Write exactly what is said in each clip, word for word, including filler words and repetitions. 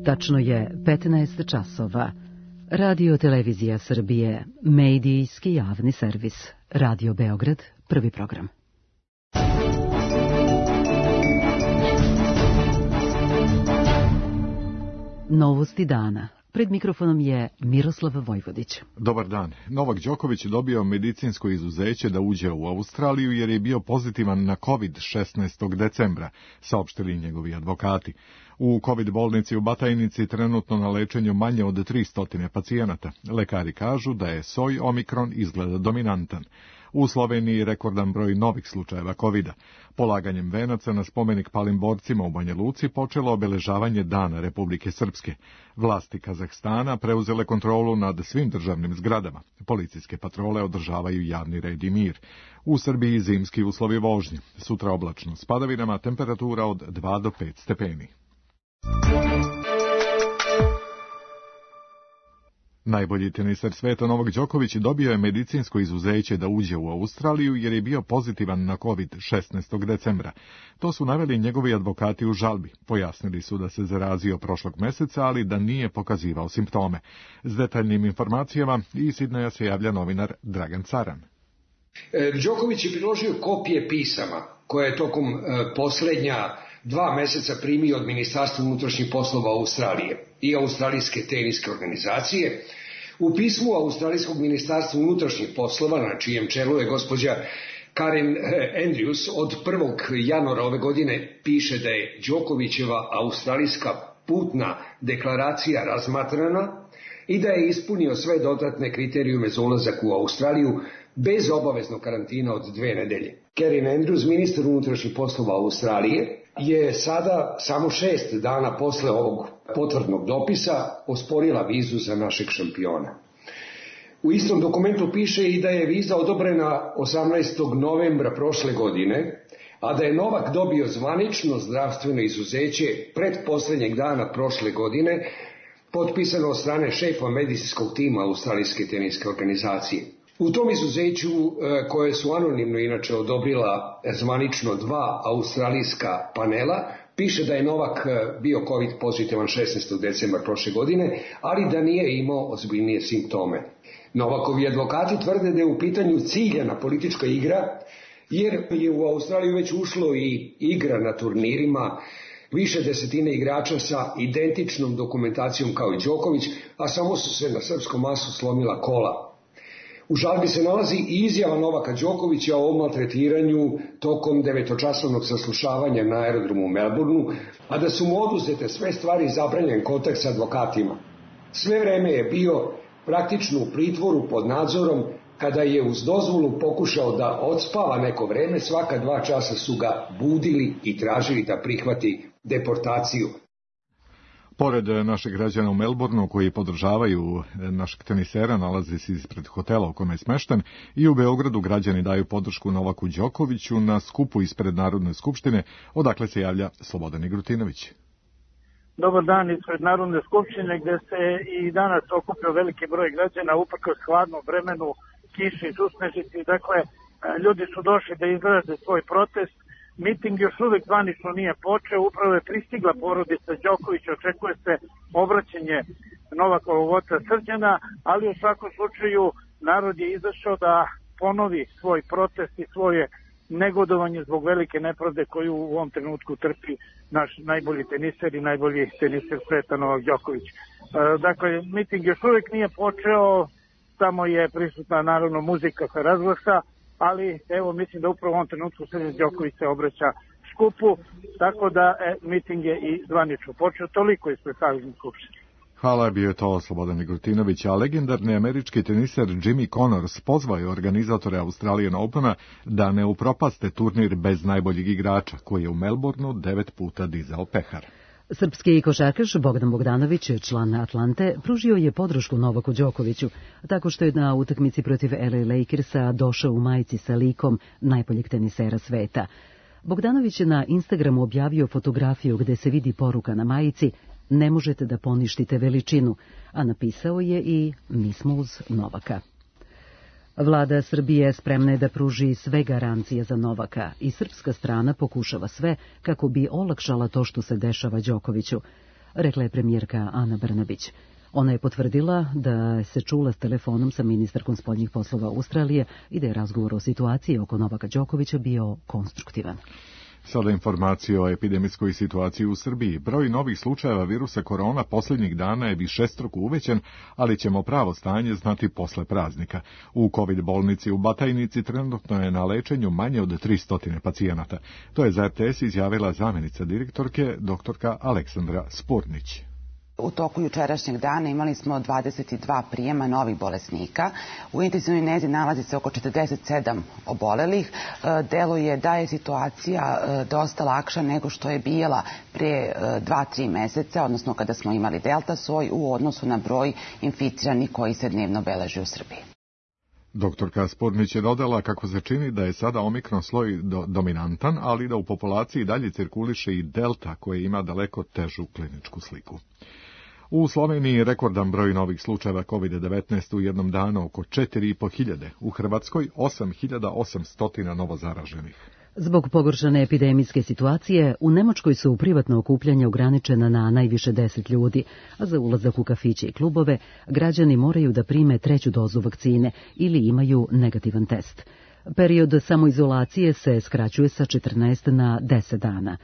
Tačno je petnaest časova. Radio Televizija Srbije, medijski javni servis. Radio Beograd, prvi program. Novosti dana. Pred mikrofonom je Miroslav Vojvodić. Dobar dan. Novak Đoković dobio medicinsko izuzeće da uđe u Australiju jer je bio pozitivan na kovid šesnaestog decembra, saopštili njegovi advokati. U kovid bolnici u Batajnici trenutno na lečenju manje od tristo pacijenata. Lekari kažu da je soj Omikron izgleda dominantan. U Sloveniji rekordan broj novih slučajeva kovida. Polaganjem venaca na spomenik palim borcima u Banja Luci počelo obeležavanje Dana Republike Srpske. Vlasti Kazahstana preuzele kontrolu nad svim državnim zgradama. Policijske patrole održavaju javni red i mir. U Srbiji zimski uslovi vožnje. Sutra oblačno s padavinama, temperatura od dva do pet stepeni. Najbolji teniser sveta Novak Đoković dobio je medicinsko izuzeće da uđe u Australiju jer je bio pozitivan na kovid šesnaestog decembra. To su naveli njegovi advokati u žalbi. Pojasnili su da se zarazio prošlog meseca, ali da nije pokazivao simptome. S detaljnim informacijama iz Sidneja se javlja novinar Dragan Caran. Đoković je priložio kopije pisama koje je tokom e, posljednja dva meseca primio od Ministarstva unutrašnjih poslova Australije i Australijske teniske organizacije. U pismu Australijskog ministarstva unutrašnjih poslova, na čijem čelu je gospođa Karen Andrews, od prvog januara ove godine piše da je Đokovićeva australijska putna deklaracija razmatrana i da je ispunio sve dodatne kriterijume za ulazak u Australiju bez obaveznog karantina od dve nedelje. Karen Andrews, ministar unutrašnjih poslova Australije, je sada samo šest dana posle ovog potvrdnog dopisa osporila vizu za našeg šampiona. U istom dokumentu piše i da je viza odobrena osamnaestog novembra prošle godine, a da je Novak dobio zvanično zdravstveno izuzeće pred posljednjeg dana prošle godine, potpisano od strane šefa medicinskog tima Australijske teniske organizacije. U tom izuzeću, koje su anonimno inače odobrila zvanično dva australijska panela, piše da je Novak bio covid pozitivan šesnaestog decembra prošle godine, ali da nije imao ozbiljnije simptome. Novakovi advokati tvrde da je u pitanju ciljana politička igra, jer je u Australiju već ušlo i igra na turnirima, više desetine igrača sa identičnom dokumentacijom kao i Đoković, a samo su se na srpskom masu slomila kola. U žalbi se nalazi i izjava Novaka Đokovića o maltretiranju tokom devetočasovnog saslušavanja na aerodromu u Melbourneu, a da su mu oduzete sve stvari i zabranjen kontakt sa advokatima. Sve vreme je bio praktično u pritvoru pod nadzorom. Kada je uz dozvolu pokušao da odspava neko vreme, svaka dva časa su ga budili i tražili da prihvati deportaciju. Pored naših građana u Melbourneu koji podržavaju našeg tenisera, nalazi se ispred hotela u kome je smešten, i u Beogradu građani daju podršku Novaku Đokoviću na skupu ispred Narodne skupštine, odakle se javlja Slobodan Igrutinović. Dobar dan ispred Narodne skupštine, gde se i danas okupio veliki broj građana uprkos hladnom vremenu, kiši i susnežici. Dakle, ljudi su došli da izraze svoj protest. Miting još uvek zvanično nije počeo, upravo je pristigla porodica Đoković, očekuje se obraćanje Novakovog oca Srđana, ali u svakom slučaju narod je izašao da ponovi svoj protest i svoje negodovanje zbog velike nepravde koju u ovom trenutku trpi naš najbolji teniser i najbolji teniser sveta Novak Đoković. Dakle, miting još uvek nije počeo, samo je prisutna naravno muzika sa razglasa, ali evo mislim da upravo u ovom trenutku Srđan Đoković se obraća skupu, tako da e, miting je i zvanično počeo. Toliko ispred Savezne skupštine. Hvala, bio je to Slobodan Igrutinović, a legendarni američki teniser Jimmy Connors pozvao je organizatore Australian Opena da ne upropaste turnir bez najboljeg igrača, koji je u Melbourneu devet puta dizao pehar. Srpski košarkaš Bogdan Bogdanović, član Atlante, pružio je podršku Novaku Đokoviću, tako što je na utakmici protiv L A Lakersa došao u majici sa likom najboljeg tenisera sveta. Bogdanović je na Instagramu objavio fotografiju gde se vidi poruka na majici "Ne možete da poništite veličinu", a napisao je i "Mi smo uz Novaka". Vlada Srbije spremna je da pruži sve garancije za Novaka i srpska strana pokušava sve kako bi olakšala to što se dešava Đokoviću. rekla je premijerka Ana Brnabić. Ona je potvrdila da se čula s telefonom sa ministarkom spoljnih poslova Australije i da je razgovor o situaciji oko Novaka Đokovića bio konstruktivan. Sada informacije o epidemijskoj situaciji u Srbiji. Broj novih slučajeva virusa korona posljednjih dana je višestruko uvećan, ali ćemo pravo stanje znati posle praznika. U COVID bolnici u Batajnici trenutno je na lečenju manje od tristo pacijenata. To je za R T S izjavila zamjenica direktorke, doktorka Aleksandra Spurnić. U toku jučerašnjeg dana imali smo dvadeset dva prijema novih bolesnika. U intenzivnoj nezi nalazi se oko četrdeset sedam obolelih. Deluje da je situacija dosta lakša nego što je bila pre dva tri meseca, odnosno kada smo imali delta soj u odnosu na broj inficiranih koji se dnevno beleži u Srbiji. Doktorka Spurnić je dodala kako se čini da je sada omikron sloj do, dominantan, ali da u populaciji dalje cirkuliše i delta koja ima daleko težu kliničku sliku. U Sloveniji rekordan broj novih slučajeva COVID devetnaest u jednom danu, oko četiri i po hiljade, u Hrvatskoj osam hiljada osamsto novo zaraženih. Zbog pogoršane epidemijske situacije, u Nemačkoj su privatna okupljanja ograničena na najviše deset ljudi, a za ulazak u kafiće i klubove građani moraju da prime treću dozu vakcine ili imaju negativan test. Period samoizolacije se skraćuje sa četrnaest na deset dana.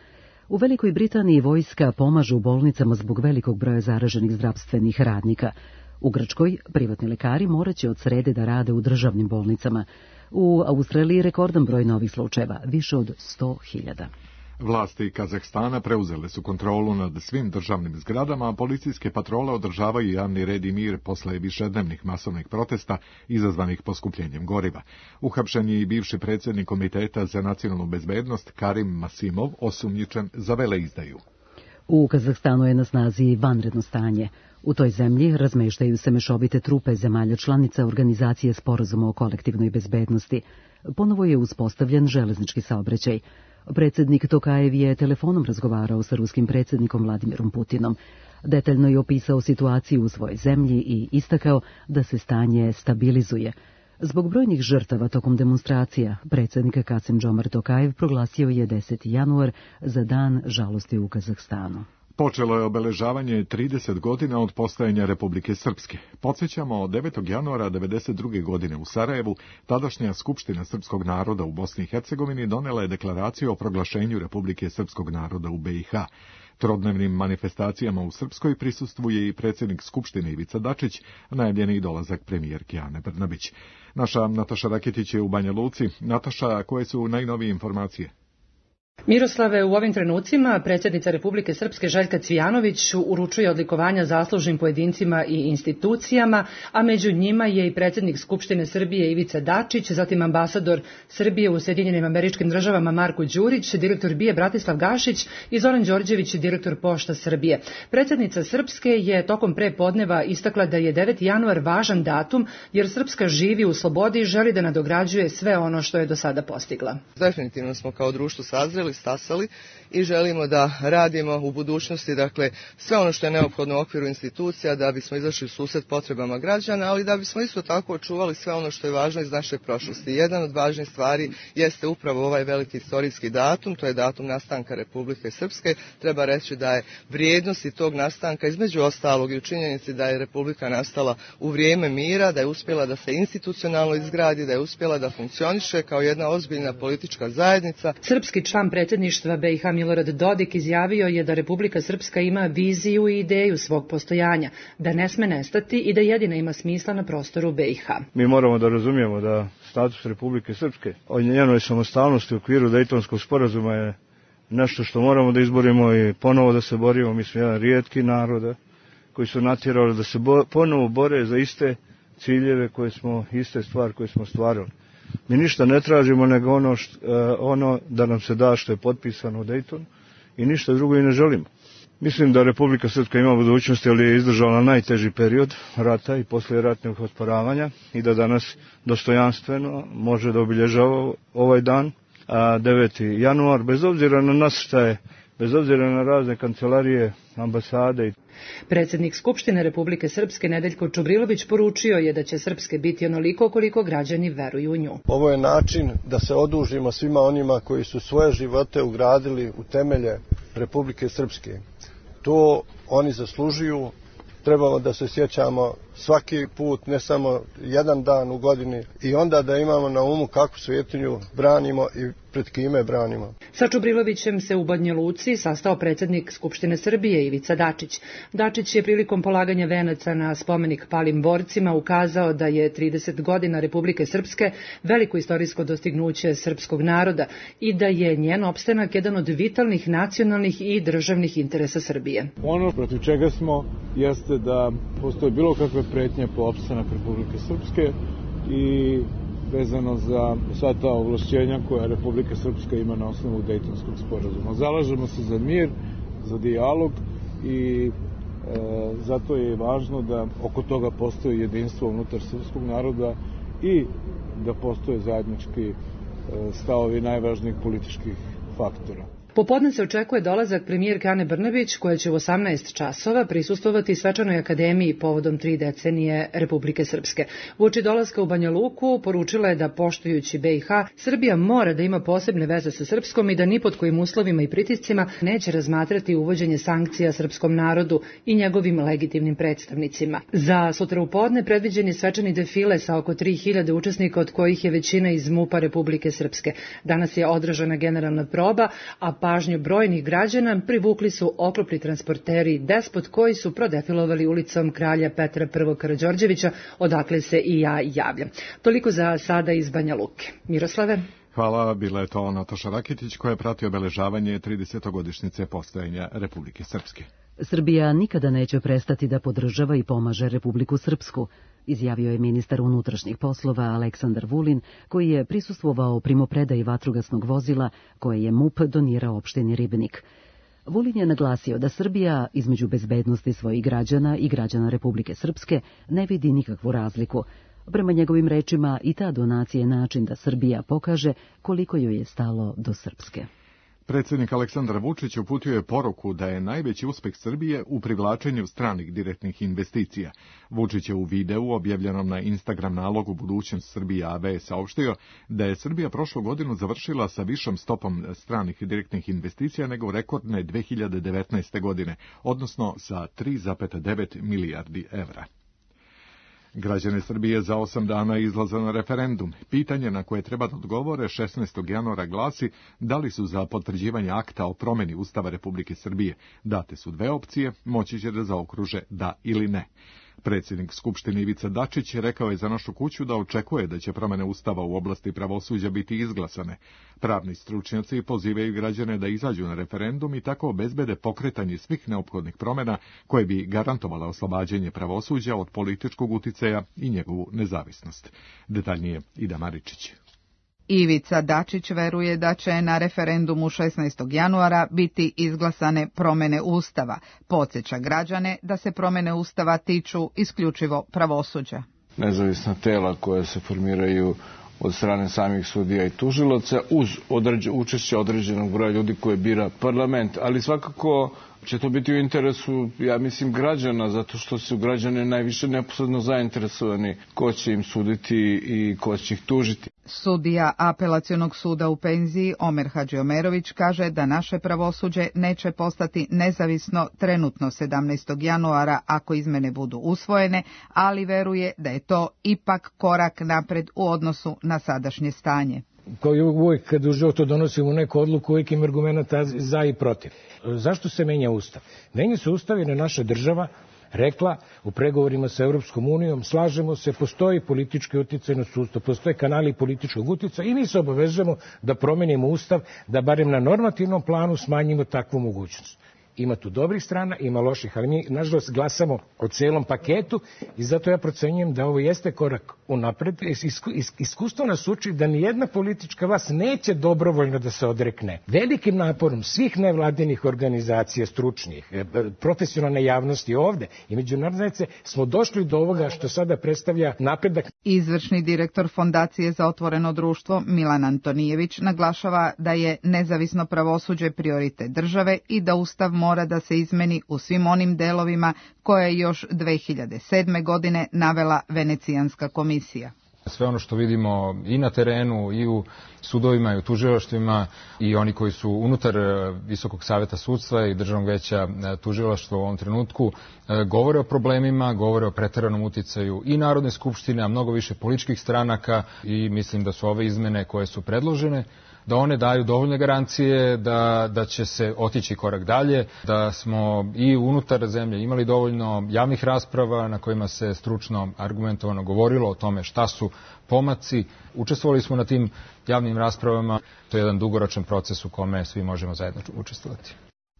U Velikoj Britaniji vojska pomaže u bolnicama zbog velikog broja zaraženih zdravstvenih radnika. U Grčkoj privatni lekari moraće od srede da rade u državnim bolnicama. U Australiji rekordan broj novih slučajeva, više od sto hiljada. Vlasti Kazahstana preuzele su kontrolu nad svim državnim zgradama, a policijske patrole održavaju javni red i mir posle višednevnih masovnih protesta izazvanih poskupljenjem goriva. Uhapšen je i bivši predsjednik Komiteta za nacionalnu bezbednost Karim Masimov, osumnjičen za veleizdaju. U Kazahstanu je na snazi vanredno stanje. U toj zemlji razmeštaju se mešovite trupe zemalja članica Organizacije sporazuma o kolektivnoj bezbednosti. Ponovo je uspostavljen železnički saobraćaj. Predsjednik Tokajev je telefonom razgovarao sa ruskim predsjednikom Vladimirom Putinom. Detaljno je opisao situaciju u svojoj zemlji i istakao da se stanje stabilizuje. Zbog brojnih žrtava tokom demonstracija, predsjednik Kasim-Džomart Tokajev proglasio je deseti januar za dan žalosti u Kazahstanu. Počelo je obeležavanje trideset godina od postojanja Republike Srpske. Podsjećamo, devetog januara devedeset druge godine u Sarajevu, tadašnja Skupština srpskog naroda u Bosni i Hercegovini donela je deklaraciju o proglašenju Republike srpskog naroda u B i H. Trodnevnim manifestacijama u Srpskoj prisustvuje i predsjednik Skupštine Ivica Dačić, najavljeni dolazak premijerke Ane Brnabić. Naša Nataša Raketić je u Banja Luci. Nataša, koje su najnovije informacije? Miroslave, u ovim trenucima predsjednica Republike Srpske Željka Cvijanović uručuje odlikovanja zaslužnim pojedincima i institucijama, a među njima je i predsjednik Skupštine Srbije Ivica Dačić, zatim ambasador Srbije u Sjedinjenim Američkim Državama Marko Đurić, direktor B I A Bratislav Gašić i Zoran Đorđević, direktor Pošta Srbije. Predsjednica Srpske je tokom prepodneva istakla da je deveti januar važan datum jer Srpska živi u slobodi i želi da nadograđuje sve ono što je do sada postigla. Definitivno smo kao društvo sazreli, stasali i želimo da radimo u budućnosti, dakle, sve ono što je neophodno u okviru institucija da bismo izašli u susret potrebama građana, ali da bismo isto tako očuvali sve ono što je važno iz naše prošlosti. Jedan od važnih stvari jeste upravo ovaj veliki istorijski datum, to je datum nastanka Republike Srpske. Treba reći da je vrijednosti tog nastanka između ostalog i u činjenici da je Republika nastala u vrijeme mira, da je uspjela da se institucionalno izgradi, da je uspjela da funkcioniše kao jedna ozbiljna politička zajednica. Srpski član predsjedništva B i H Milorad Dodik izjavio je da Republika Srpska ima viziju i ideju svog postojanja, da ne sme nestati i da jedina ima smisla na prostoru B i H. Mi moramo da razumijemo da status Republike Srpske o njenoj samostalnosti u okviru Dejtonskog sporazuma je nešto što moramo da izborimo i ponovo da se borimo. Mi smo jedan rijetki narod koji su natjerali da se bo, ponovo bore za iste ciljeve koje smo, iste stvari koje smo stvarali. Mi ništa ne tražimo nego ono, št, ono da nam se da što je potpisano u Dejtonu i ništa drugo i ne želimo. Mislim da Republika Srpska ima budućnosti, ali je izdržala najteži period rata i poslije ratnog osporavanja i da danas dostojanstveno može da obilježava ovaj dan, a deveti januar, bez obzira na nas šta je, bez obzira na razne kancelarije, ambasade. Predsjednik Skupštine Republike Srpske Nedeljko Čubrilović poručio je da će Srpske biti onoliko koliko građani veruju u nju. Ovo je način da se odužimo svima onima koji su svoje živote ugradili u temelje Republike Srpske. To oni zaslužuju. Trebamo da se sjećamo svaki put, ne samo jedan dan u godini, i onda da imamo na umu kakvu svetinju branimo i pred kime branimo. Sa Čubrilovićem se u Banja Luci sastao predsjednik Skupštine Srbije Ivica Dačić. Dačić je prilikom polaganja venaca na spomenik palim borcima ukazao da je trideset godina Republike Srpske veliko istorijsko dostignuće srpskog naroda i da je njen opstanak jedan od vitalnih nacionalnih i državnih interesa Srbije. Ono protiv čega smo jeste da postoje bilo kakve pretnje po opstanak Republike Srpske i vezano za sva ta ovlašćenja koja Republika Srpska ima na osnovu Dejtonskog sporazuma. Zalažemo se za mir, za dijalog i e, zato je važno da oko toga postoji jedinstvo unutar srpskog naroda i da postoje zajednički e, stavovi najvažnijih političkih faktora. Popodne se očekuje dolazak premijerke Ane Brnabić, koja će u osamnaest časova prisustvovati svečanoj akademiji povodom tri decenije Republike Srpske. Uoči dolaska u Banja Luku poručila je da, poštujući B i H, Srbija mora da ima posebne veze sa Srpskom i da ni pod kojim uslovima i pritiscima neće razmatrati uvođenje sankcija srpskom narodu i njegovim legitimnim predstavnicima. Za sutra u podne predviđen je svečani defile sa oko tri hiljade učesnika, od kojih je većina iz MUP-a Republike Srpske. Danas je održana generalna proba, a pažnju brojnih građana privukli su oklopni transporteri Despot koji su prodefilovali ulicom kralja Petra I. Karađorđevića, odakle se i ja javljam. Toliko za sada iz Banja Luke. Miroslave? Hvala, bila je to Nataša Rakitić koja je pratio obeležavanje tridesetogodišnjice postojanja Republike Srpske. Srbija nikada neće prestati da podržava i pomaže Republiku Srpsku, izjavio je ministar unutrašnjih poslova Aleksandar Vulin, koji je prisustvovao primopredaji vatrogasnog vozila koje je MUP donirao opštini Ribnik. Vulin je naglasio da Srbija između bezbednosti svojih građana i građana Republike Srpske ne vidi nikakvu razliku. Prema njegovim rečima, i ta donacija je način da Srbija pokaže koliko joj je stalo do Srpske. Predsjednik Aleksandar Vučić uputio je poruku da je najveći uspeh Srbije u privlačenju stranih direktnih investicija. Vučić je u videu objavljenom na Instagram nalogu Budućnost Srbije A B saopštio da je Srbija prošlu godinu završila sa višom stopom stranih direktnih investicija nego rekordne dve hiljade devetnaeste. godine, odnosno sa tri zarez devet milijardi evra. Građane Srbije za osam dana izlaze na referendum. Pitanje na koje treba da odgovore šesnaestog januara glasi da li su za potvrđivanje akta o promjeni Ustava Republike Srbije. Date su dve opcije, moći će da zaokruže da ili ne. Predsjednik Skupštine Ivica Dačić rekao je za Našu kuću da očekuje da će promjene Ustava u oblasti pravosuđa biti izglasane. Pravni stručnjaci pozivaju građane da izađu na referendum i tako obezbede pokretanje svih neophodnih promjena koje bi garantovala oslobađanje pravosuđa od političkog uticaja i njegovu nezavisnost. Detaljnije Ida Maričić. Ivica Dačić veruje da će na referendumu šesnaestog januara biti izglasane promjene Ustava. Podsjeća građane da se promjene Ustava tiču isključivo pravosuđa. Nezavisna tela koja se formiraju od strane samih sudija i tužilaca uz određe, učešće određenog broja ljudi koje bira parlament, ali svakako će to biti u interesu, ja mislim, građana, zato što su građani najviše neposredno zainteresovani ko će im suditi i ko će ih tužiti. Sudija Apelacionog suda u penziji Omer Hadžiomerović kaže da naše pravosuđe neće postati nezavisno trenutno sedamnaestog januara ako izmene budu usvojene, ali veruje da je to ipak korak napred u odnosu na sadašnje stanje. Kao i uvijek kad u životu donosimo neku odluku, uvijek ima argumenta za i protiv. Zašto se menja Ustav? Menja se Ustav jer je naša država rekla u pregovorima sa Europskom unijom, slažemo se, postoji politički uticaj na sustav, postoje kanali političkog uticaja i mi se obavezujemo da promenimo Ustav, da barem na normativnom planu smanjimo takvu mogućnost. Ima tu dobrih strana, ima loših, ali mi, nažalost, glasamo o celom paketu i zato ja procenjujem da ovo jeste korak unapred. Isku, is, iskustvo nas uči da nijedna politička vlast neće dobrovoljno da se odrekne. Velikim naporom svih nevladinih organizacija, stručnih, profesionalne javnosti ovde i međunarodne smo došli do ovoga što sada predstavlja napredak. Izvršni direktor Fondacije za otvoreno društvo Milan Antonijević naglašava da je nezavisno pravosuđe prioritet države i da Ustav mora da se izmeni u svim onim delovima koje je još dve hiljade sedme. godine navela Venecijanska komisija. Sve ono što vidimo i na terenu, i u sudovima, i u tužilaštvima, i oni koji su unutar Visokog saveta sudstva i Državnog veća tužilaštva u ovom trenutku, govore o problemima, govore o preteranom uticaju i Narodne skupštine, a mnogo više političkih stranaka, i mislim da su ove izmene koje su predložene, da one daju dovoljne garancije da, da će se otići korak dalje, da smo i unutar zemlje imali dovoljno javnih rasprava na kojima se stručno argumentovano govorilo o tome šta su pomaci. Učestvovali smo na tim javnim raspravama. To je jedan dugoročan proces u kome svi možemo zajedno učestvovati.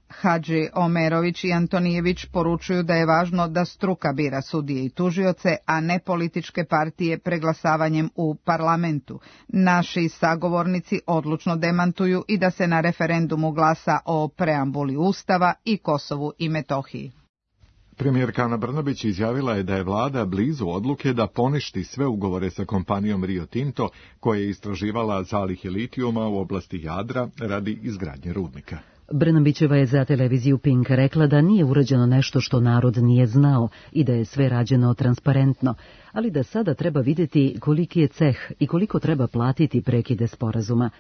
Hadži Omerović i Antonijević poručuju da je važno da struka bira sudije i tužioce, a ne političke partije preglasavanjem u parlamentu. Naši sagovornici odlučno demantuju i da se na referendumu glasa o preambuli Ustava i Kosovu i Metohiji. Premijerka Ana Brnabić izjavila je da je vlada blizu odluke da poništi sve ugovore sa kompanijom Rio Tinto, koja je istraživala zalihe litijuma u oblasti Jadra radi izgradnje rudnika. Brnabićeva je za televiziju Pink rekla da nije urađeno nešto što narod nije znao i da je sve rađeno transparentno, ali da sada treba vidjeti koliki je ceh i koliko treba platiti prekide sporazuma.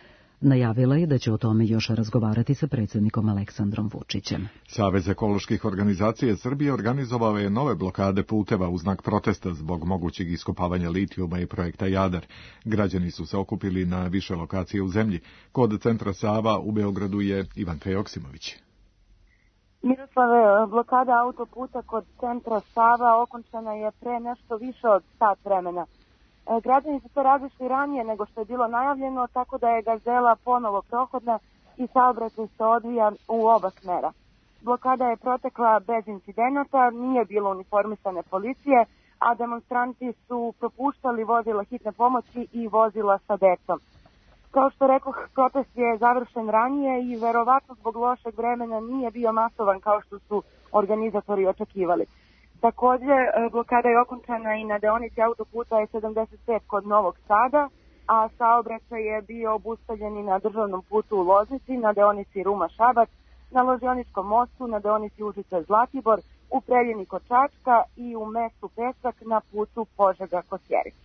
Najavila je da će o tome još razgovarati sa predsjednikom Aleksandrom Vučićem. Savez ekoloških organizacija Srbije organizovao je nove blokade puteva u znak protesta zbog mogućeg iskopavanja litijuma i projekta Jadar. Građani su se okupili na više lokacije u zemlji. Kod centra Sava u Beogradu je Ivanka Joksimović. Miroslave, blokada autoputa kod centra Sava okončana je pre nešto više od sat vremena. Građani su to različili ranije nego što je bilo najavljeno, tako da je Gazela ponovo prohodna i saobraćaj se odvija u oba smera. Blokada je protekla bez incidenata, nije bilo uniformisane policije, a demonstranti su propuštali vozila hitne pomoći i vozila sa decom. Kao što rekoh, protest je završen ranije i verovatno zbog lošeg vremena nije bio masovan kao što su organizatori očekivali. Također, blokada je okončana i na deonici autoputa E sedamdeset pet kod Novog Sada, a saobraćaj je bio obustavljen i na državnom putu u Loznici, na deonici Ruma-Šabac, na Ložioničkom mostu, na deonici Užice-Zlatibor, u Preljini kod Čačka i u mestu Pesak na putu Požega-Kosjerić.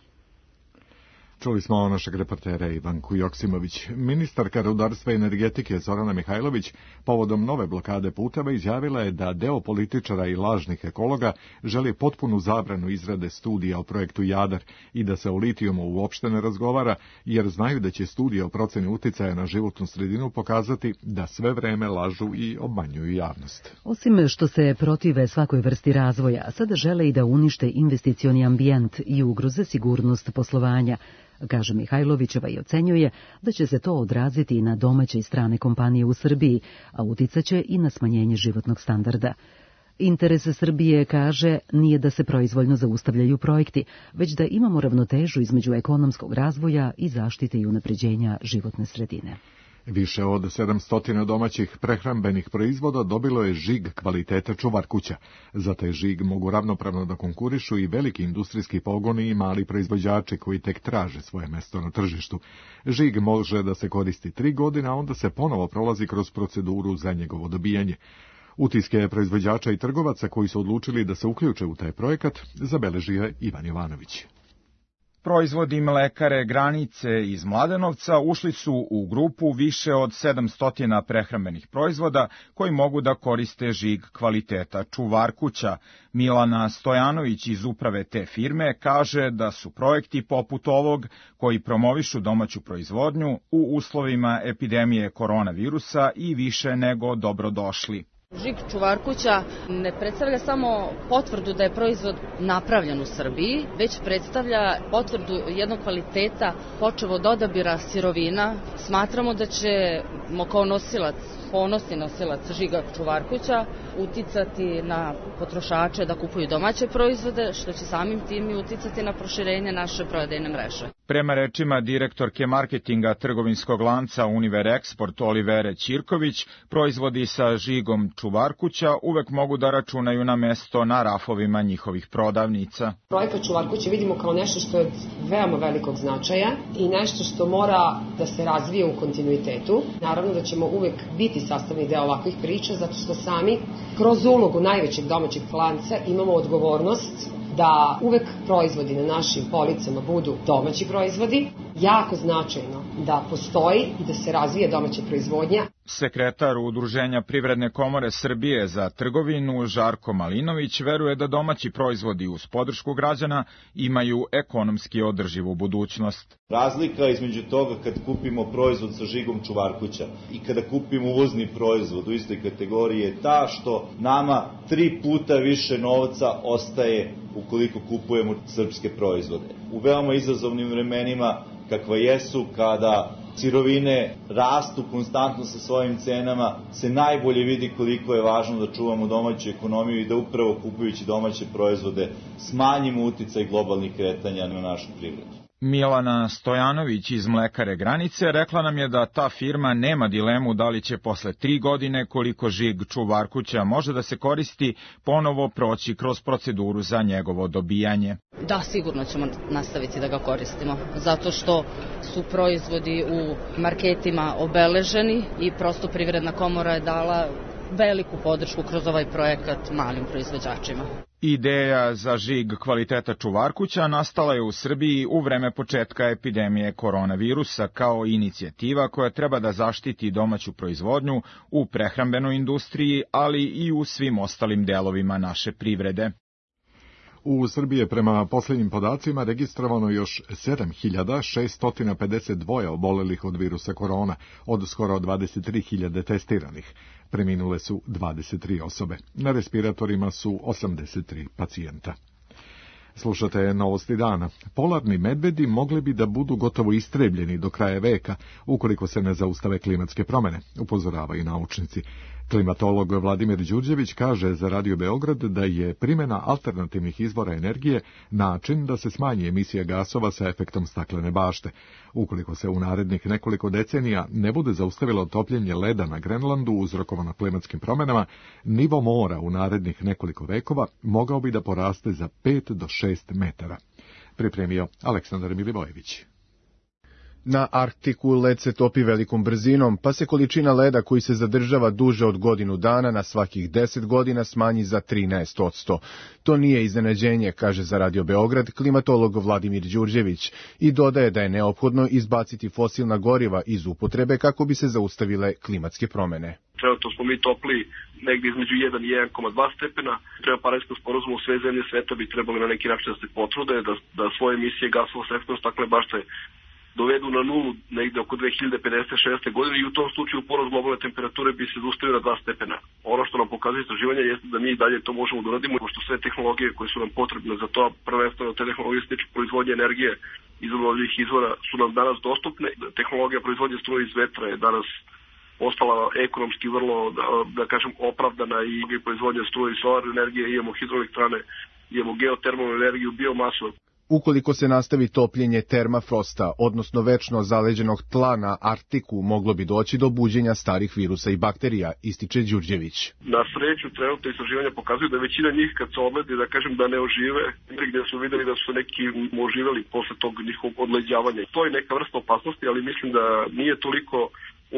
Čuli smo našeg reportera Ivanku Joksimović. Ministarka rudarstva i energetike Zorana Mihajlović povodom nove blokade puteva izjavila je da deo političara i lažnih ekologa želi potpunu zabranu izrade studija o projektu Jadar i da se o litijumu uopšte ne razgovara, jer znaju da će studija o proceni uticaja na životnu sredinu pokazati da sve vreme lažu i obmanjuju javnost. Osim što se protive svakoj vrsti razvoja, sada žele i da unište investicioni ambijent i ugroze sigurnost poslovanja, kaže Mihajlovićeva, i ocenjuje da će se to odraziti i na domaće i strane kompanije u Srbiji, a uticaće i na smanjenje životnog standarda. Interes Srbije, kaže, nije da se proizvoljno zaustavljaju projekti, već da imamo ravnotežu između ekonomskog razvoja i zaštite i unapređenja životne sredine. Više od sedamsto domaćih prehrambenih proizvoda dobilo je žig kvaliteta čuvar kuća. Za taj žig mogu ravnopravno da konkurišu i veliki industrijski pogoni i mali proizvođači koji tek traže svoje mesto na tržištu. Žig može da se koristi tri godine, a onda se ponovo prolazi kroz proceduru za njegovo dobijanje. Utiske proizvođača i trgovaca koji su odlučili da se uključe u taj projekat zabeležio je Ivan Jovanović. Proizvodi mlekare Granice iz Mladenovca ušli su u grupu više od sedamsto prehrambenih proizvoda koji mogu da koriste žig kvaliteta čuvar kuća. Milana Stojanović iz uprave te firme kaže da su projekti poput ovog, koji promovišu domaću proizvodnju, u uslovima epidemije koronavirusa i više nego dobrodošli. Žig čuvar kuća ne predstavlja samo potvrdu da je proizvod napravljen u Srbiji, već predstavlja potvrdu jednog kvaliteta počev od odabira sirovina. Smatramo da ćemo kao nosilac, ponosni nosilac žiga čuvar kuća uticati na potrošače da kupuju domaće proizvode, što će samim tim i uticati na proširenje naše prodajne mreže. Prema rečima direktorke marketinga trgovinskog lanca Univer Export Olivere Ćirković, proizvodi sa žigom čuvar kuća uvek mogu da računaju na mesto na rafovima njihovih prodavnica. Projekat čuvar kuće vidimo kao nešto što je veoma velikog značaja i nešto što mora da se razvije u kontinuitetu. Naravno da ćemo uvek biti sastavni deo ovakvih priča, zato što sami kroz ulogu najvećeg domaćeg lanca imamo odgovornost da uvek proizvodi na našim policama budu domaći proizvodi, jako značajno da postoji i da se razvije domaća proizvodnja. Sekretar Udruženja Privredne komore Srbije za trgovinu Žarko Malinović veruje da domaći proizvodi uz podršku građana imaju ekonomski održivu budućnost. Razlika između toga kad kupimo proizvod sa žigom Čuvarkuća i kada kupimo uvozni proizvod u istoj kategoriji je ta što nama tri puta više novca ostaje ukoliko kupujemo srpske proizvode. U veoma izazovnim vremenima kakva jesu, kada sirovine rastu konstantno sa svojim cenama, se najbolje vidi koliko je važno da čuvamo domaću ekonomiju i da upravo kupujući domaće proizvode smanjimo uticaj globalnih kretanja na našu privredu. Milana Stojanović iz Mlekare Granice rekla nam je da ta firma nema dilemu da li će posle tri godine koliko žig Čuvarkuća može da se koristi ponovo proći kroz proceduru za njegovo dobijanje. Da, sigurno ćemo nastaviti da ga koristimo, zato što su proizvodi u marketima obeleženi i prosto Privredna komora je dala veliku podršku kroz ovaj projekat malim proizvođačima. Ideja za žig kvaliteta Čuvarkuća nastala je u Srbiji u vreme početka epidemije koronavirusa kao inicijativa koja treba da zaštiti domaću proizvodnju u prehrambenoj industriji, ali i u svim ostalim delovima naše privrede. U Srbiji je prema posljednjim podacima registrovano još sedam hiljada šesto pedeset dva obolelih od virusa korona, od skoro dvadeset tri hiljade testiranih. Preminule su dvadeset tri osobe. Na respiratorima su osamdeset tri pacijenta. Slušate Novosti dana. Polarni medvedi mogli bi da budu gotovo istrebljeni do kraja veka, ukoliko se ne zaustave klimatske promjene, upozoravaju naučnici. Klimatolog Vladimir Đurđević kaže za Radio Beograd da je primjena alternativnih izvora energije način da se smanji emisija gasova sa efektom staklene bašte. Ukoliko se u narednih nekoliko decenija ne bude zaustavilo topljenje leda na Grenlandu uzrokovano klimatskim promjenama, nivo mora u narednih nekoliko vekova mogao bi da poraste za pet do šest metara. Pripremio Aleksandar Milivojević. Na Arktiku led se topi velikom brzinom, pa se količina leda koji se zadržava duže od godinu dana na svakih deset godina smanji za trinaest posto. To nije iznenađenje, kaže za Radio Beograd klimatolog Vladimir Đurđević i dodaje da je neophodno izbaciti fosilna goriva iz upotrebe kako bi se zaustavile klimatske promjene. Trenutno smo mi topli negdje između jedan i jedan zarez dva stepena. Prema Parijskom sporazumu sve zemlje sveta bi trebali na neki način da se potrude, da, da svoje emisije gasova sa efektom staklene bašte dovedu na nulu negde oko dve hiljade pedeset šeste. godine i u tom slučaju porast globalne temperature bi se zaustavio na dva stepena. Ono što nam pokazuje istraživanje jeste da mi i dalje to možemo da uradimo, pošto sve tehnologije koje su nam potrebne za to, prvenstveno te tehnologije se tiču proizvodnje energije iz obnovljivih izvora, su nam danas dostupne. Tehnologija proizvodnje struje iz vetra je danas ostala ekonomski vrlo, da, da kažem, opravdana i proizvodnja struje iz solarne energije, imamo hidroelektrane, imamo geotermalnu energiju, biomasu. Ukoliko se nastavi topljenje termafrosta, odnosno večno zaleđenog tla na Arktiku, moglo bi doći do buđenja starih virusa i bakterija, ističe Đurđević. Na sreću, trenutno istraživanja pokazuju da većina njih, kad se odledi, da kažem da ne ožive, gdje su videli da su neki oživeli posle tog njihovog odleđavanja. To je neka vrsta opasnosti, ali mislim da nije toliko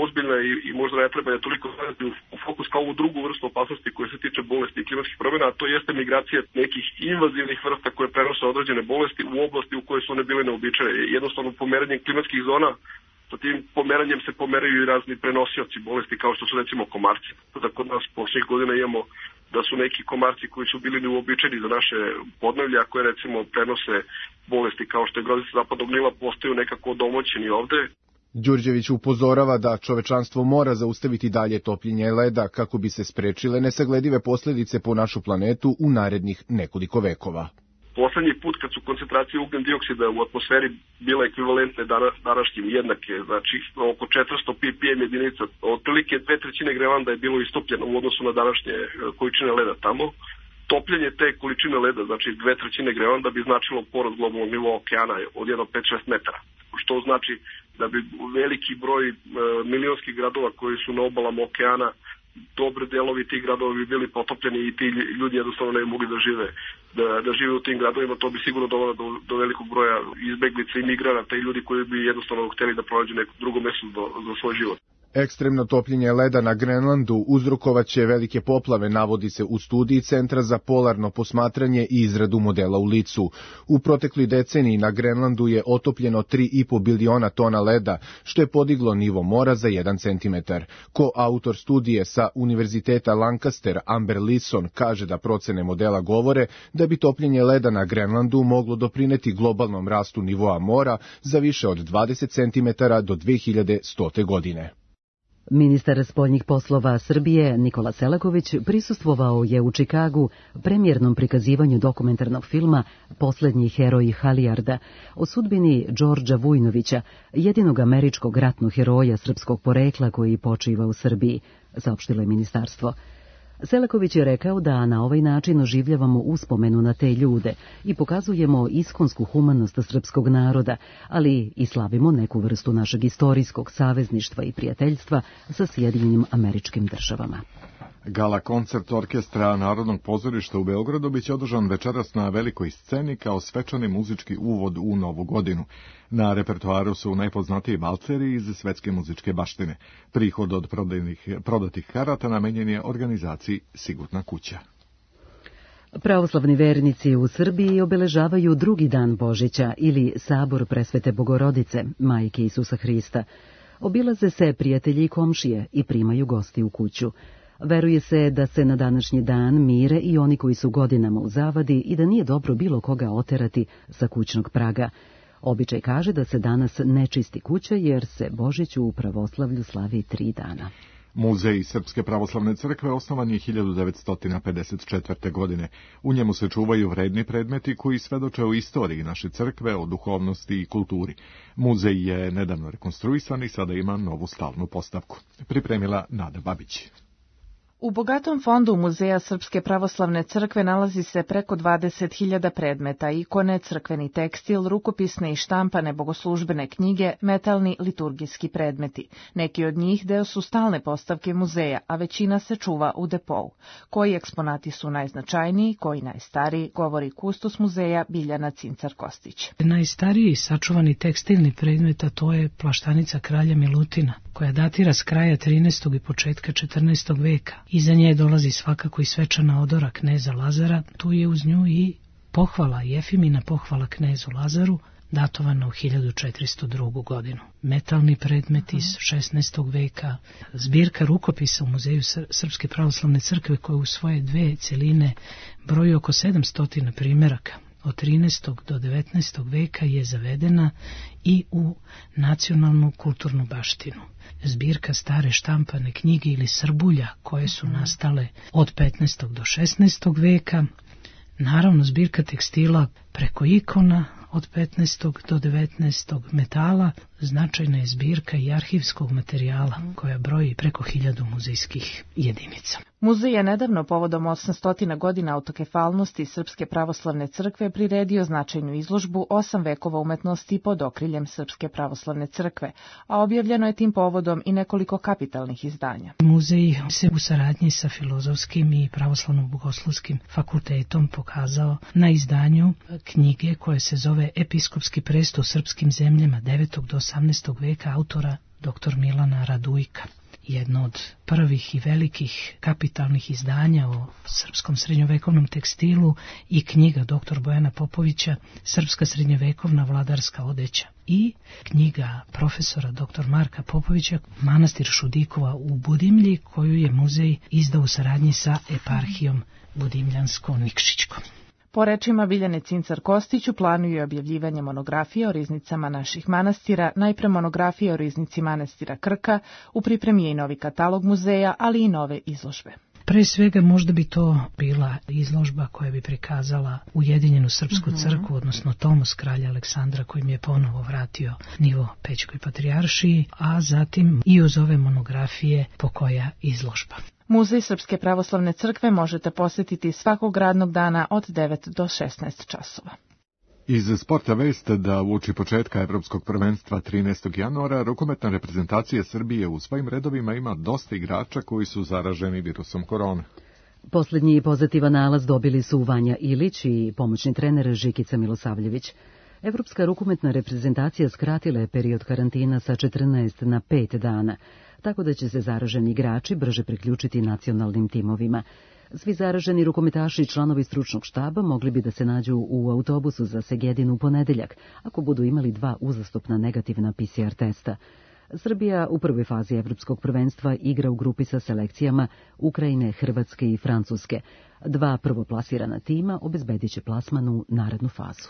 ozbiljna i, i možda ne treba da toliko staviti u fokus kao ovu drugu vrstu opasnosti koja se tiče bolesti i klimatskih promjena, a to jeste migracija nekih invazivnih vrsta koje prenose određene bolesti u oblasti u kojoj su one bile neobičajne. Jednostavno pomeranjem klimatskih zona, sa tim pomeranjem se pomeraju i razni prenosioci bolesti kao što su recimo komarci. Da kod nas posljednjih godina imamo da su neki komarci koji su bili neuobičajeni za naše podneblje, a koje recimo prenose bolesti kao što je grozica zapadnog Nila, postaju nekako domoćeni ovde. Đurđević upozorava da čovečanstvo mora zaustaviti dalje topljenje leda kako bi se sprečile nesagledive posljedice po našu planetu u narednih nekoliko vekova. Poslednji put kad su koncentracije ugljen dioksida u atmosferi bile ekvivalentne današnjim jednake, znači oko četiristo ppm jedinica, otprilike dve trećine Grenlanda je bilo istopljeno u odnosu na današnje količine leda tamo. Topljenje te količine leda, znači dve trećine Grenlanda, bi značilo porast globalnog nivoa okeana od jedno pet do šest metara, što znači da bi veliki broj e, milionskih gradova koji su na obalama okeana, dobre delovi tih gradova bi bili potopljeni i ti ljudi jednostavno ne bi mogli da žive, da, da žive u tim gradovima. To bi sigurno dovelo do, do velikog broja izbeglica i migranata i ljudi koji bi jednostavno hteli da pronađu neko drugo mesto do, za svoj život. Ekstremno topljenje leda na Grenlandu uzrokovaće velike poplave, navodi se u studiji Centra za polarno posmatranje i izradu modela u licu. U protekloj deceniji na Grenlandu je otopljeno tri i po biliona tona leda, što je podiglo nivo mora za jedan centimetar. Ko-autor studije sa Univerziteta Lancaster, Amber Lisson, kaže da procene modela govore da bi topljenje leda na Grenlandu moglo doprineti globalnom rastu nivoa mora za više od dvadeset centimetara do dve hiljade stote godine. Ministar spoljnih poslova Srbije Nikola Selaković prisustvovao je u Čikagu premijernom prikazivanju dokumentarnog filma Poslednji heroj Halijarda o sudbini Đorđa Vujnovića, jedinog američkog ratnog heroja srpskog porekla koji počiva u Srbiji, saopštilo je ministarstvo. Selaković je rekao da na ovaj način oživljavamo uspomenu na te ljude i pokazujemo iskonsku humanost srpskog naroda, ali i slavimo neku vrstu našeg istorijskog savezništva i prijateljstva sa Sjedinjenim Američkim Državama. Gala koncert orkestra Narodnog pozorišta u Beogradu biće održan večeras na velikoj sceni kao svečani muzički uvod u novu godinu. Na repertoaru su najpoznatiji valceri iz svetske muzičke baštine. Prihod od prodajnih, prodatih karata namenjen je organizaciji Sigurna kuća. Pravoslavni vernici u Srbiji obeležavaju drugi dan Božića ili Sabor Presvete Bogorodice, Majke Isusa Hrista. Obilaze se prijatelji i komšije i primaju gosti u kuću. Veruje se da se na današnji dan mire i oni koji su godinama u zavadi i da nije dobro bilo koga oterati sa kućnog praga. Običaj kaže da se danas ne čisti kuća jer se Božić u pravoslavlju slavi tri dana. Muzej Srpske pravoslavne crkve osnovan je hiljadu devetsto pedeset četvrte. godine. U njemu se čuvaju vredni predmeti koji svedoče o istoriji naše crkve, o duhovnosti i kulturi. Muzej je nedavno rekonstruisan i sada ima novu stalnu postavku. Pripremila Nada Babić. U bogatom fondu Muzeja Srpske pravoslavne crkve nalazi se preko dvadeset hiljada predmeta, ikone, crkveni tekstil, rukopisne i štampane bogoslužbene knjige, metalni liturgijski predmeti. Neki od njih deo su stalne postavke muzeja, a većina se čuva u depou. Koji eksponati su najznačajniji, koji najstariji, govori kustos muzeja Biljana Cincar-Kostić. Najstariji sačuvani tekstilni predmet, a to je plaštanica kralja Milutina, koja datira s kraja trinaestog i početka četrnaestog veka. Iza nje dolazi svakako i svečana odora kneza Lazara, tu je uz nju i pohvala, Jefimina pohvala knezu Lazaru, datovana u hiljadu četiristo drugu. godinu. Metalni predmet iz šesnaestog veka, zbirka rukopisa u Muzeju Srpske pravoslavne crkve koja u svoje dve celine broji oko sedamsto primjeraka. Od trinaestog do devetnaestog veka je zavedena i u nacionalnu kulturnu baštinu. Zbirka stare štampane knjige ili srbulja koje su nastale od petnaestog do šesnaestog veka, naravno zbirka tekstila preko ikona od petnaestog do devetnaestog metala, značajna je zbirka i arhivskog materijala koja broji preko hiljadu muzejskih jedinica. Muzej je nedavno povodom osamsto godina autokefalnosti Srpske pravoslavne crkve priredio značajnu izložbu osam vekova umetnosti pod okriljem Srpske pravoslavne crkve, a objavljeno je tim povodom i nekoliko kapitalnih izdanja. Muzej se u saradnji sa Filozofskim i Pravoslavno-bogoslovskim fakultetom pokazao na izdanju knjige koje se zove Episkopski presto u srpskim zemljama devetog do osamnaestog veka autora doktor Milana Radujka. Jedno od prvih i velikih kapitalnih izdanja o srpskom srednjovekovnom tekstilu i knjiga doktor Bojana Popovića Srpska srednjovekovna vladarska odeća i knjiga profesora doktor Marka Popovića Manastir Šudikova u Budimlji koju je muzej izdao u saradnji sa eparhijom Budimljansko-Nikšićkom. Po rečima Biljane Cincar-Kostić u planu je objavljivanje monografije o riznicama naših manastira, najpre monografije o riznici manastira Krka, u pripremi je i novi katalog muzeja, ali i nove izložbe. Pre svega možda bi to bila izložba koja bi prikazala Ujedinjenu Srpsku mm-hmm. crkvu, odnosno Tomos kralja Aleksandra kojim je ponovo vratio nivo Pećkoj patrijaršiji, a zatim i uz ove monografije po koja izložba. Muzej Srpske pravoslavne crkve možete posjetiti svakog radnog dana od devet do šesnaest časova. Iz sporta vest da uoči početka Evropskog prvenstva trinaestog januara rukometna reprezentacija Srbije u svojim redovima ima dosta igrača koji su zaraženi virusom korone. Poslednji pozitivan nalaz dobili su Vanja Ilić i pomoćni trener Žikica Milosavljević. Evropska rukometna reprezentacija skratila je period karantina sa četrnaest na pet dana. tako da će se zaraženi igrači brže priključiti nacionalnim timovima. Svi zaraženi rukometaši i članovi stručnog štaba mogli bi da se nađu u autobusu za Segedin u ponedeljak, ako budu imali dva uzastopna negativna P C R testa. Srbija u prvoj fazi evropskog prvenstva igra u grupi sa selekcijama Ukrajine, Hrvatske i Francuske. Dva prvoplasirana tima obezbedit će plasman u narednu fazu.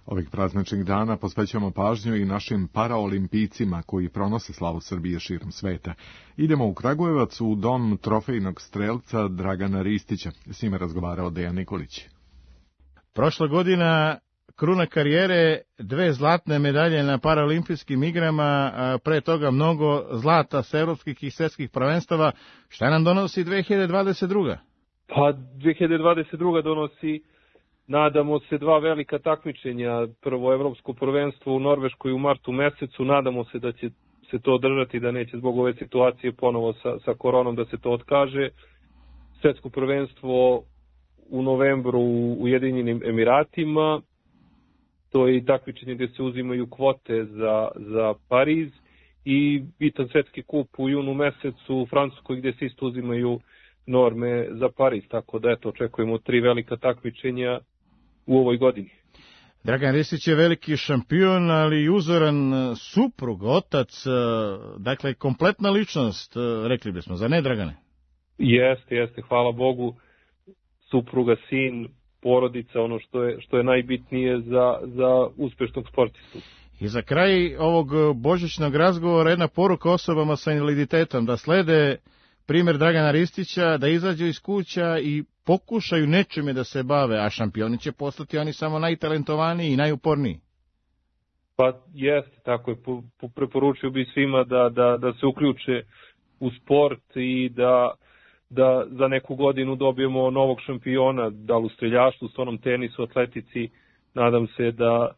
Ovih prazničnih dana posvećujemo pažnju i našim paraolimpijcima koji pronose slavu Srbije širom sveta. Idemo u Kragujevac u dom trofejnog strelca Dragana Ristića. S njima razgovarao Dejan Nikolić. Prošla godina kruna karijere, dve zlatne medalje na paraolimpijskim igrama, a pre toga mnogo zlata s evropskih i svetskih prvenstava. Šta nam donosi dve hiljade dvadeset druga? Pa dve hiljade dvadeset druga donosi, nadamo se, dva velika takmičenja. Prvo evropsko prvenstvo u Norveškoj u martu mesecu, nadamo se da će se to održati, da neće zbog ove situacije ponovo sa, sa koronom da se to otkaže. Svetsko prvenstvo u novembru u Ujedinjenim Emiratima, to je i takmičenje gdje se uzimaju kvote za, za Pariz, i bitan svetski kup u junu mesecu u Francuskoj gdje se isto uzimaju norme za Pariz, tako da eto, očekujemo tri velika takmičenja u ovoj godini. Dragan Ristić je veliki šampion, ali uzoran suprug, otac, dakle kompletna ličnost, rekli bismo, za ne, Dragane? Jeste, jeste, hvala Bogu, supruga, sin, porodica, ono što je, što je najbitnije za, za uspešnog sportistu. I za kraj ovog božićnog razgovora jedna poruka osobama sa invaliditetom, da slede primjer Dragana Ristića, da izađu iz kuća i pokušaju nečime da se bave, a šampioni će postati oni samo najtalentovaniji i najuporniji. Pa jeste, tako je, preporučio bi svima da, da, da se uključe u sport i da, da za neku godinu dobijemo novog šampiona, da li u streljaštvu, stonom tenisu, atletici. Nadam se da,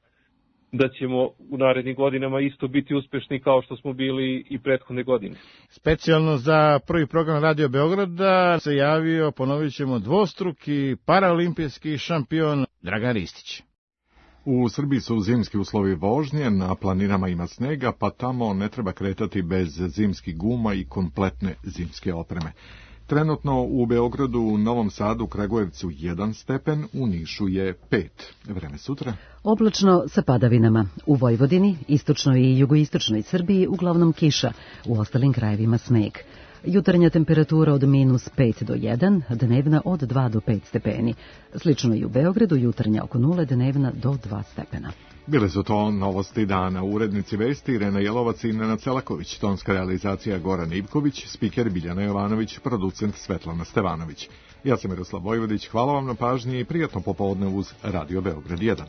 da ćemo u narednim godinama isto biti uspešni kao što smo bili i prethodne godine. Specijalno za prvi program Radio Beograda se javio, ponovit ćemo, dvostruki paraolimpijski šampion Dragan Ristić. U Srbiji su zimski uslovi vožnje, na planinama ima snega, pa tamo ne treba kretati bez zimskih guma i kompletne zimske opreme. Trenutno u Beogradu, u Novom Sadu, Kragujevcu jedan stepen, u Nišu je pet. Vreme sutra. Oblačno sa padavinama. U Vojvodini, istočnoj i jugoistočnoj Srbiji uglavnom kiša, u ostalim krajevima sneg. Jutarnja temperatura od minus pet do jedan, dnevna od dva do pet stepeni. Slično i u Beogradu, jutarnja oko nule, dnevna do dva stepena. Bile su to novosti dana. Urednici vesti Irena Jelovac i Nenad Celaković, tonska realizacija Goran Ivković, spiker Biljana Jovanović, producent Svetlana Stevanović. Ja sam Miroslav Vojvodić, hvala vam na pažnji i prijatno popodne uz Radio Beograd jedan.